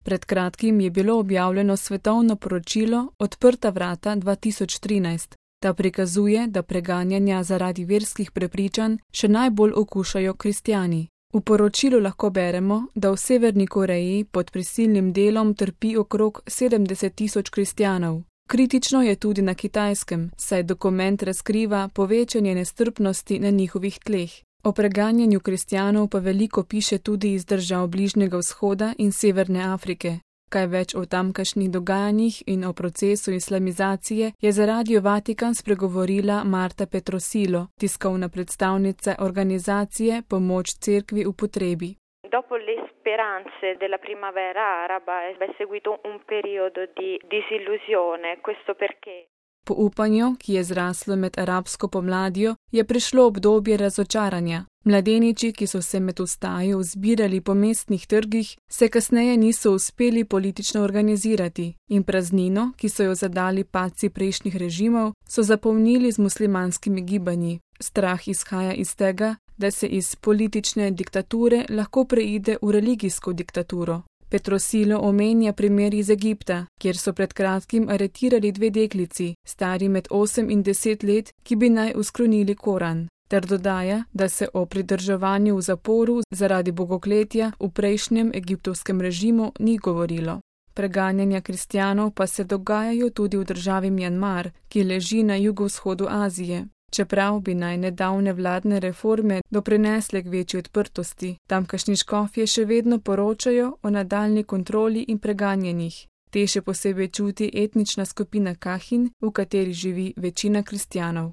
Pred kratkim je bilo objavljeno svetovno poročilo Odprta vrata 2013, ta prikazuje, da preganjanja zaradi verskih prepričanj še najbolj okušajo kristjani. V poročilu lahko beremo, da v Severni Koreji pod prisilnim delom trpi okrog 70 tisoč kristjanov. Kritično je tudi na Kitajskem, saj dokument razkriva povečanje nestrpnosti na njihovih tleh. O preganjanju kristjanov pa veliko piše tudi iz držav Bližnjega vzhoda in Severne Afrike. Kaj več o tamkajšnjih dogajanjih in o procesu islamizacije je za Radio Vatikan spregovorila Marta Petrosilo, tiskovna predstavnica organizacije Pomoč cerkvi v potrebi. Dopo le speranze della primavera araba è seguito un periodo di disillusione, questo perché Po upanju, ki je zraslo med arabsko pomladjo, je prišlo obdobje razočaranja. Mladeniči, ki so se med vstajo zbirali po mestnih trgih, se kasneje niso uspeli politično organizirati in praznino, ki so jo zadali padci prejšnjih režimov, so zapolnili z muslimanskimi gibanji. Strah izhaja iz tega, da se iz politične diktature lahko preide v religijsko diktaturo. Petrosilo omenja primer iz Egipta, kjer so pred kratkim aretirali 2 deklici, stari med 8 in 10 let, ki bi naj usklonili Koran, ter dodaja, da se o pridrževanju v zaporu zaradi bogokletja v prejšnjem egiptovskem režimu ni govorilo. Preganjanja kristjanov pa se dogajajo tudi v državi Mjanmar, ki leži na jugovzhodu Azije. Čeprav bi naj nedavne vladne reforme doprinesle k večji odprtosti, tamkajšnji škofje še vedno poročajo o nadaljnji kontroli in preganjanjih. Te še posebej čuti etnična skupina Kahin, v kateri živi večina kristjanov.